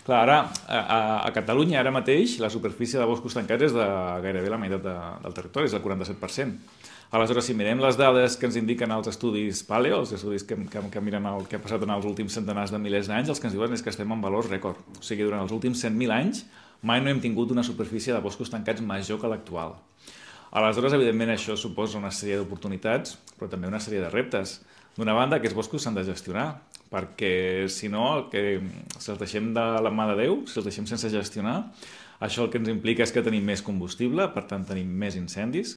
Clar, ara, a Catalunya, ara mateix, la superfície de boscos tancats és de gairebé la meitat del territori, és el 47%. Aleshores, si mirem les dades que ens indiquen els estudis paleo, els estudis que miren el que ha passat en els últims centenars de milers d'anys, els que ens diuen és que estem en valors rècord. O sigui, durant els últims 100.000 anys mai no hem tingut una superfície de boscos tancats major que l'actual. Aleshores, evidentment, això suposa una sèrie d'oportunitats, però també una sèrie de reptes. D'una banda, aquests boscos s'han de gestionar, perquè si no, si els deixem de la mà de Déu, si els deixem sense gestionar, això el que ens implica és que tenim més combustible, per tant tenim més incendis,